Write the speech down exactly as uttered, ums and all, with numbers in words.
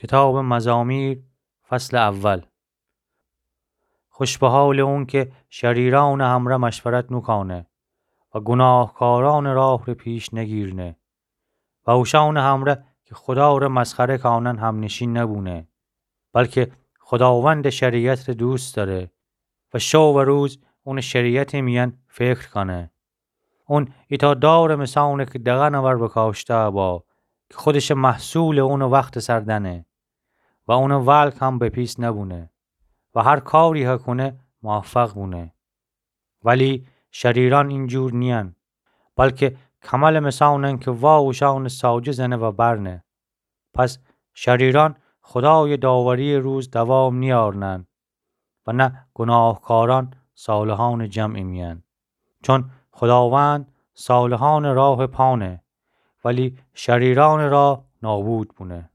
کتابٚ مزامیر، فصلٚ اول. خوش به حالٚ اون کی شریرأنٚ همره مشورت نوکأنه و گوناهکارأنٚ راه ره پیش نگیرنه و اوشأنٚ همره کی خودا ره مسخره کأنن همنشین نبونه، بلکی خوداوندٚ شریعت ره دوست دأره و شو و روز اونٚ شریعتٚ میأن فکر کأنه. اون ایتأ دارٚ مثأنه کی دغنٚ ور بکاشته‌با کی خودشٚ محصولٚ اونٚ وختٚ سر دأنه و اونٚ ولگ هم بپیس نبونه و هر کاری هه کونه موفق بونه. ولی شریرأن اینجور نیین، بلکی کملٚ مثأنن کی وأ اوشأنٚ ساجه زنه و برنه. پس شریرأن خودایٚ داوری‌یٚ روز دوام نیأرنن و نه گوناهکارأن صالحأنٚ جمعٚ میأن. چون خوداوند صالحأنٚ راه پا نه، ولی شریرأنٚ راه نابود بونه.